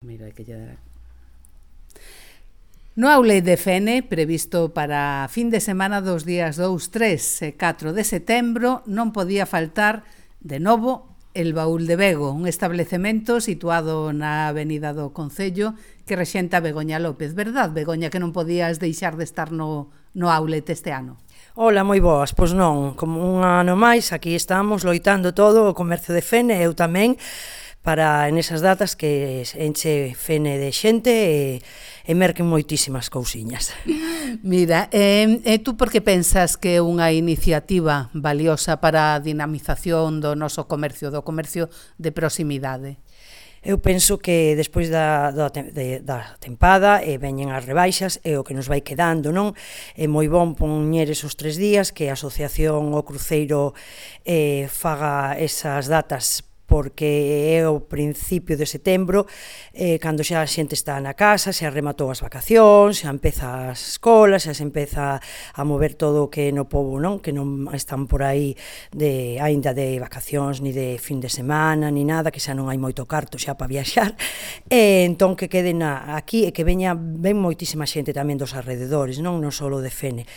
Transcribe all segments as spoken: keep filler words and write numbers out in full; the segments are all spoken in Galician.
Mira que lle... No aule de Fene, previsto para fin de semana dos días dous, tres e catro de setembro, non podía faltar, de novo, el Baúl de Vego, un establecemento situado na avenida do Concello que rexenta Begoña López. Verdad, Begoña, que non podías deixar de estar no, no outlet este ano? Ola, moi boas, pois non, como un ano máis, aquí estamos loitando todo o comercio de Fene, eu tamén, para en esas datas que enche Fene de xente e, e merquen moitísimas cousiñas. Mira, eh, e tú por que pensas que é unha iniciativa valiosa para a dinamización do noso comercio, do comercio de proximidade? Eu penso que despois da, da, de, da tempada e veñen as rebaixas e o que nos vai quedando, non? É moi bon poñer esos tres días que a asociación o cruceiro eh, faga esas datas porque é o principio de setembro, eh, cando xa a xente está na casa, xa rematou as vacacións, xa empeza as escolas, xa se empeza a mover todo o que no pobo, non? Que non están por aí de, aínda de vacacións, ni de fin de semana, ni nada, que xa non hai moito carto xa para viaxar, e entón que queden aquí e que veña ben moitísima xente tamén dos alrededores, non? Non só de Fene.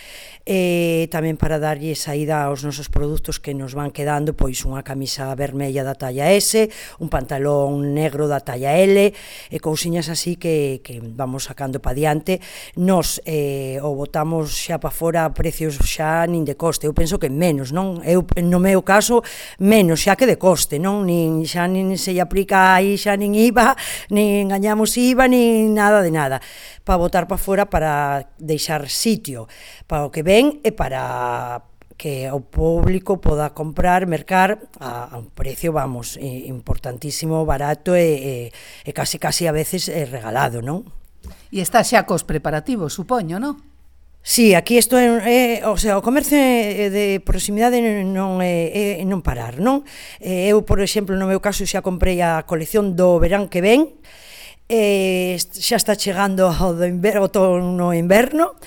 E tamén para darlle saída aos nosos produtos que nos van quedando, pois unha camisa vermella da talla S, un pantalón negro da talla L, e cousiñas así que, que vamos sacando pa diante. Nos eh, o botamos xa pa fora a precios xa nin de coste, eu penso que menos, non? Eu, no meu caso, menos xa que de coste, non? Nin, xa nin se lle aplica aí xa nin I V A, nin gañamos I V A, nin nada de nada, para botar pa fora para deixar sitio para o que ven e para que o público poda comprar, mercar a, a un precio, vamos, importantísimo, barato e, e, e casi casi a veces é regalado, non? E está xa cos preparativos, supoño, non? Sí, aquí isto é, é, o sea, o comercio de proximidade non é, é non parar, non? Eu, por exemplo, no meu caso xa comprei a colección do verán que ven, e xa está chegando o do inverno, outono inverno,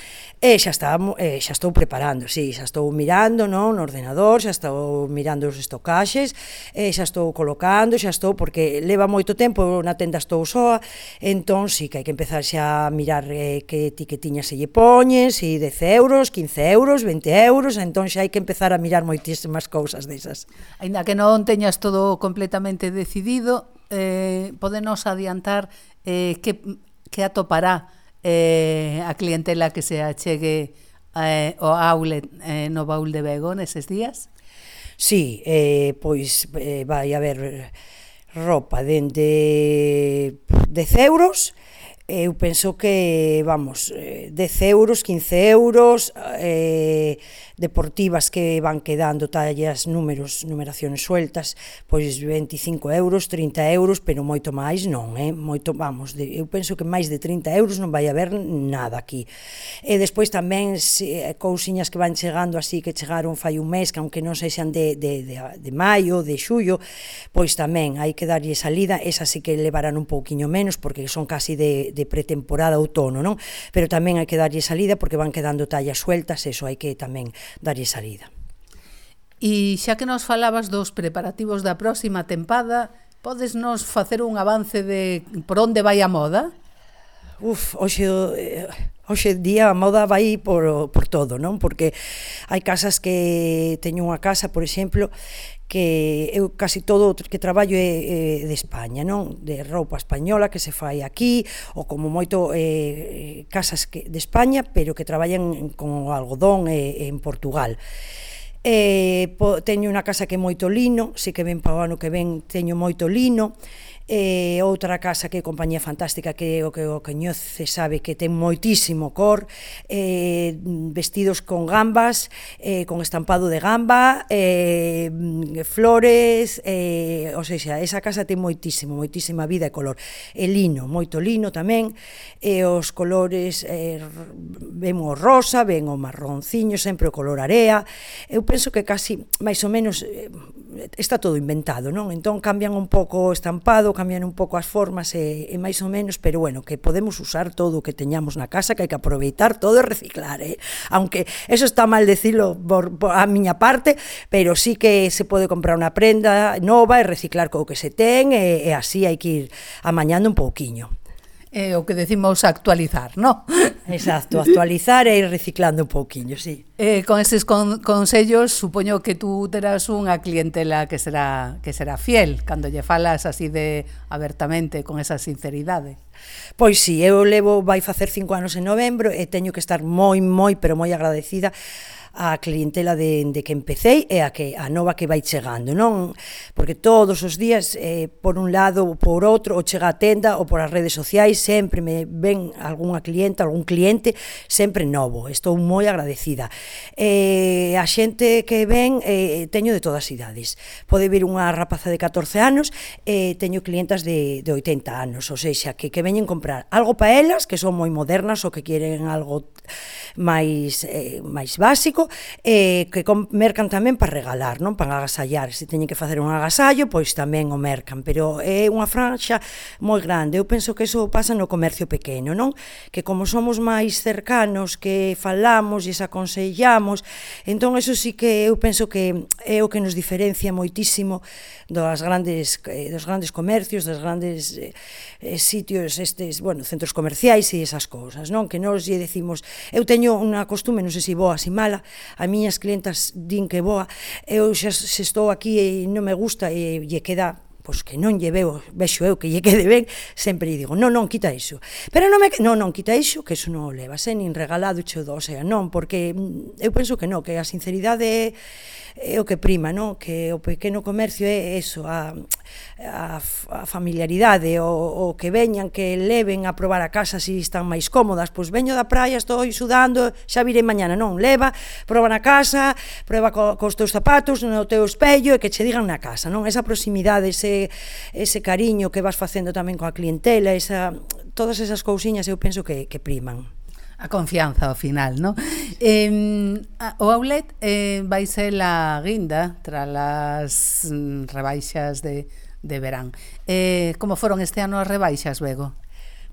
e xa, está, eh, xa estou preparando, sí, xa estou mirando, non, no ordenador, xa estou mirando os estocaxes, e xa estou colocando, xa estou, porque leva moito tempo, na tenda estou soa, entón sí que hai que empezar xa a mirar eh, que etiquetiña se lle poñen, si dez euros, quince euros, vinte euros, entón xa hai que empezar a mirar moitísimas cousas desas. Aínda que non teñas todo completamente decidido, eh, podenos adiantar eh, que, que atopará Eh, a clientela que se achegue eh, ao outlet eh, no Baúl de Vego neses días? Sí, eh, pois eh, vai haber roupa dende dez euros, eu penso que, vamos, dez euros, quince euros, eh, deportivas que van quedando tallas, números, numeracións sueltas, pois veinticinco euros, trinta euros, pero moito máis non, eh? Moito, vamos, de, eu penso que máis de trinta euros non vai haber nada aquí. E despois tamén se, cousiñas que van chegando así, que chegaron fai un mes, que aunque non sexan de, de, de, de maio, de xullo, pois tamén hai que darlle salida, esas sí que levarán un pouquiño menos, porque son casi de, de pretemporada outono, non? Pero tamén hai que darlle salida, porque van quedando tallas sueltas, eso hai que tamén darlle salida. E xa que nos falabas dos preparativos da próxima tempada, podes nos facer un avance de por onde vai a moda? Uf, hoxe, hoxe día a moda vai por, por todo, non? Porque hai casas que teño unha casa, por exemplo, que eu casi todo o que traballo é, é de España, non? De roupa española que se fai aquí, ou como moito eh, casas que, de España, pero que traballan con o algodón eh, en Portugal. Eh, po, teño unha casa que é moito lino, si que ven para o ano que ven teño moito lino, e outra casa que é Compañía Fantástica, que o que o coñece sabe que ten moitísimo cor, eh, vestidos con gambas, eh, con estampado de gamba, eh, flores, eh, ou seja, esa casa ten moitísimo, moitísima vida e color. E lino, moito lino tamén, e os colores, eh, ven o rosa, ven o marronciño, sempre o color area. Eu penso que casi, máis ou menos, está todo inventado, non? Entón cambian un pouco o estampado, cambian un pouco as formas e, e máis ou menos, pero bueno, que podemos usar todo o que teñamos na casa, que hai que aproveitar todo e reciclar, eh? Aunque eso está mal decirlo por, por a miña parte, pero sí que se pode comprar unha prenda nova e reciclar co que se ten e, e así hai que ir amañando un pouquiño. É o que decimos actualizar, non? Exacto, actualizar e ir reciclando un pouquiño, sí. Eh, con eses con, consellos, supoño que tú terás unha clientela que será que será fiel, cando lle falas así de abertamente, con esa sinceridade. Pois sí, eu levo, vai facer cinco anos en novembro e teño que estar moi, moi, pero moi agradecida a clientela de, de que empecéi e a que a nova que vai chegando, non? Porque todos os días, eh, por un lado ou por outro, ou chega a tenda ou por as redes sociais, sempre me ven algunha clienta, algún cliente, sempre novo. Estou moi agradecida. Eh, a xente que ven, eh, teño de todas as idades. Pode vir unha rapaza de catorce anos, e eh, teño clientas de, de oitenta anos, ou seja, que, que veñen comprar algo para elas, que son moi modernas ou que queren algo máis, eh, máis básico, eh, que mercan tamén para regalar, non? Para agasallar. Se teñen que facer un agasallo, pois tamén o mercan, pero é unha franxa moi grande. Eu penso que eso pasa no comercio pequeno, non? Que como somos máis cercanos, que falamos e aconsellamos, entón eso sí que eu penso que é o que nos diferencia moitísimo dos grandes, eh, dos grandes comercios, dos grandes eh, eh, sitios, estes, bueno, centros comerciais e esas cousas, non? Que nos lle decimos, eu teño unha costume, non sei se boa, se mala, a miñas clientas din que boa, eu xa se estou aquí e non me gusta e lle queda, pois que non lle veo, vexo eu que lle quede ben, sempre lle digo, non, non, quita iso. Pero non me, non, non, quita iso, que iso non o levas, eh, nin regalado che o do, o sea, non, porque eu penso que non, que a sinceridade é, é o que prima, non? Que o pequeno comercio é eso, a, a, a familiaridade, o, o que veñan, que leven a probar a casa se están máis cómodas, pois veño da praia, estou sudando, xa virei mañana, non, leva, proba na casa, proba co, cos teus zapatos, no teu espello, e que che digan na casa, non? Esa proximidade, ese, ese cariño que vas facendo tamén coa clientela, esa, todas esas cousiñas eu penso que, que priman. A confianza ao final, non? Eh, o outlet eh, vai ser a guinda tras as mm, rebaixas de, de verán. Eh, como foron este ano as rebaixas, Bego?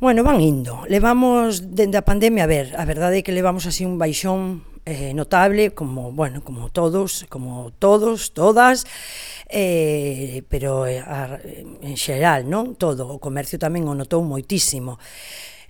Bueno, van indo. Levamos, dende a pandemia, a ver, a verdade é que levamos así un baixón eh, notable, como, bueno, como todos, como todos, todas, eh, pero eh, a, en xeral, non? Todo, o comercio tamén o notou moitísimo.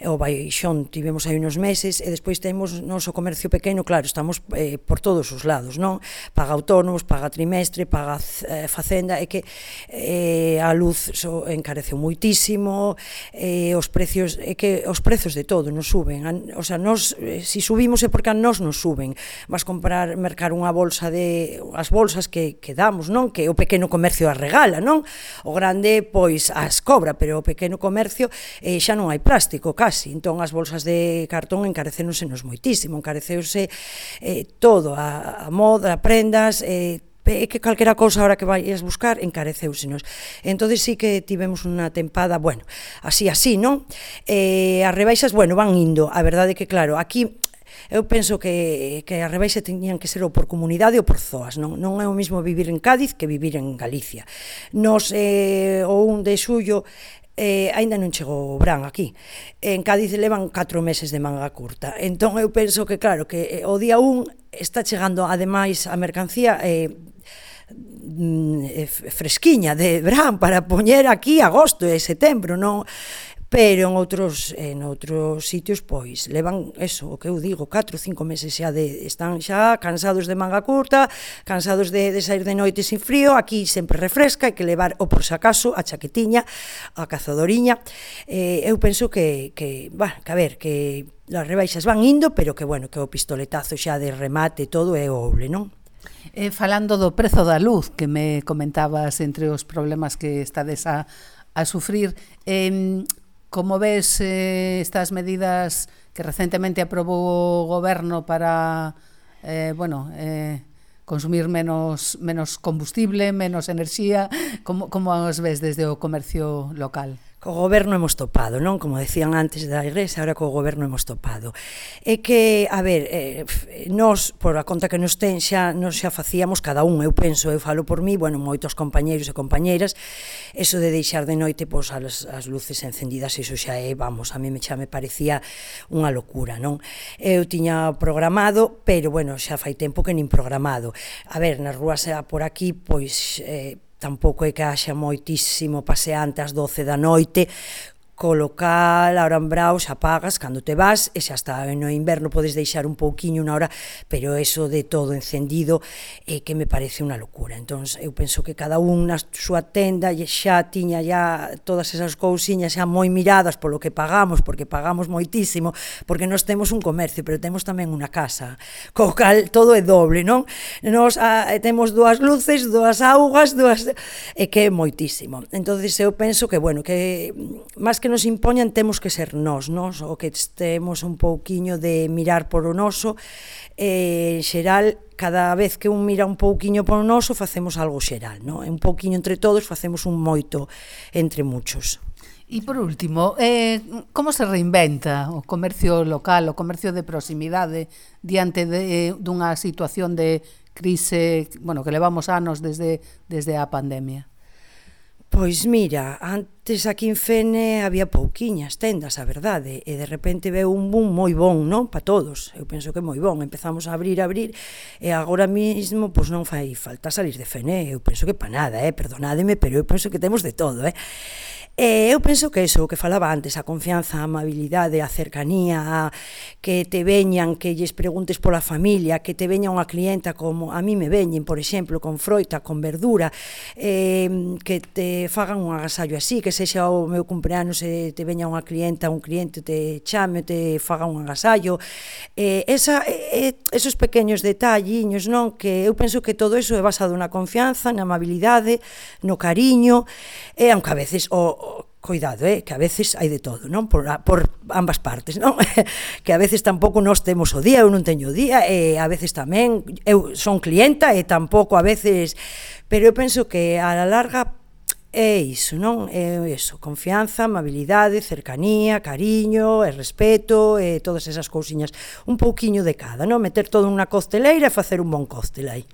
O baixón tivemos aí uns meses e despois temos noso comercio pequeno, claro, estamos eh, por todos os lados, non? Paga autónomos, paga trimestre, paga eh, facenda, é que eh, a luz so, encareceu moitísimo, eh, os precios, é que os prezos de todo nos suben, a, o sea, nos, eh, si subimos é porque a nos nos suben, vas comprar, mercar unha bolsa de, as bolsas que, que damos, non? Que o pequeno comercio as regala, non? O grande, pois, as cobra, pero o pequeno comercio eh, xa non hai plástico, casi. Entón as bolsas de cartón encarecénosenos moitísimo, encareceuse eh, todo, a, a moda, a prendas, eh, é que calquera cousa ahora que vais buscar encareceusenos. Entón sí que tivemos unha tempada, bueno, así así, non? Eh, as rebaixas, bueno, van indo, a verdade é que claro, aquí eu penso que, que a rebaixa teñían que ser ou por comunidade ou por zoas, non, non é o mesmo vivir en Cádiz que vivir en Galicia. Nos, eh, o un de xullo, eh, aínda non chegou o verán aquí. En Cádiz levan catro meses de manga curta. Entón eu penso que, claro, que o día un está chegando, ademais, a mercancía eh, fresquiña de verán para poñer aquí agosto e setembro, non? Pero en outros, en outros sitios, pois, levan eso, o que eu digo, catro ou cinco meses xa de, están xa cansados de manga curta, cansados de, de sair de noite sin frío, aquí sempre refresca, hai que levar, o por si acaso, a chaquetiña, a cazadoriña. Eh, eu penso que, que, bueno, que a ver, que as rebaixas van indo, pero que, bueno, que o pistoletazo xa de remate todo é o oble, non? Eh, falando do prezo da luz, que me comentabas entre os problemas que estades a, a sufrir, eh, como ves eh, estas medidas que recentemente aprobou o goberno para eh, bueno, eh, consumir menos, menos combustible, menos enerxía, como, como os ves desde o comercio local? co goberno hemos topado, non? Como decían antes da Igrexa, ahora co goberno hemos topado. É que, a ver, eh, nós, por a conta que nos ten, xa, nos xa facíamos cada un, eu penso, eu falo por mí, bueno, moitos compañeiros e compañeiras, eso de deixar de noite, pois, as, as luces encendidas, eso xa é, vamos, a mí xa me parecía unha locura, non? Eu tiña programado, pero, bueno, xa fai tempo que nin programado. A ver, nas rúas por aquí, pois, eh, tampouco é que haxa moitísimo paseante ás doce da noite, co local, a hora en Braus, apagas cando te vas, e xa está, no inverno podes deixar un pouquiño unha hora, pero eso de todo encendido é que me parece unha locura. Entón, eu penso que cada un na súa tenda xa tiña ya todas esas cousiñas xa moi miradas polo que pagamos, porque pagamos moitísimo, porque nós temos un comercio, pero temos tamén unha casa, co cal todo é doble, non? Nós a, temos dúas luces, dúas augas, dúas... é que é moitísimo. Entón, eu penso que, bueno, que máis que nos impoñan temos que ser nós, nós, o que estemos un pouquiño de mirar por o noso, eh, en xeral, cada vez que un mira un pouquiño por o noso, facemos algo xeral, non? Un pouquiño entre todos, facemos un moito entre muchos. E por último, eh, como se reinventa o comercio local, o comercio de proximidade diante de, dunha situación de crise, bueno, que levamos anos desde, desde a pandemia? Pois mira, antes aquí en Fene había pouquiñas tendas, a verdade, e de repente veu un boom moi bon, non? Pa todos, eu penso que moi bon, empezamos a abrir, a abrir, e agora mismo, pois non fai falta salir de Fene, eu penso que pa nada, eh? Perdonádeme, pero eu penso que temos de todo, eh? E eu penso que eso, o que falaba antes, a confianza, a amabilidade, a cercanía, a que te veñan, que lles preguntes pola familia, que te veña unha clienta como a mí me veñen, por exemplo, con froita, con verdura, eh, que te fagan un agasallo así, que sexa o meu cumpleanos e te veña unha clienta, un cliente te chame, te faga un agasallo, eh, esa, eh, esos pequeños detalliños, non? Que eu penso que todo eso é basado na confianza, na amabilidade, no cariño, e aunque a veces o cuidado, eh, que a veces hai de todo, non? Por, por ambas partes, non? Que a veces tampouco nós temos o día, eu non teño o día, e a veces tamén, eu son clienta e tampouco a veces, pero eu penso que a la larga é iso, non? É iso, confianza, amabilidade, cercanía, cariño, e respeto, e todas esas cousiñas, un pouquiño de cada, non? Meter todo nunha costeleira e facer un bon cóctel aí.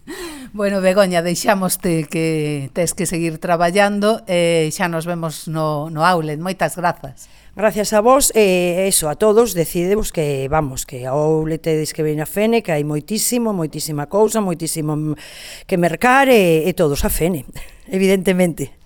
Bueno, Begoña, deixámoste que tes que seguir traballando e xa nos vemos no, no outlet. Moitas grazas. Gracias a vos e eso, a todos, decidevos que, vamos, que a outlet tedes que ven a Fene, que hai moitísimo, moitísima cousa, moitísimo que mercar e, e todos a Fene, evidentemente.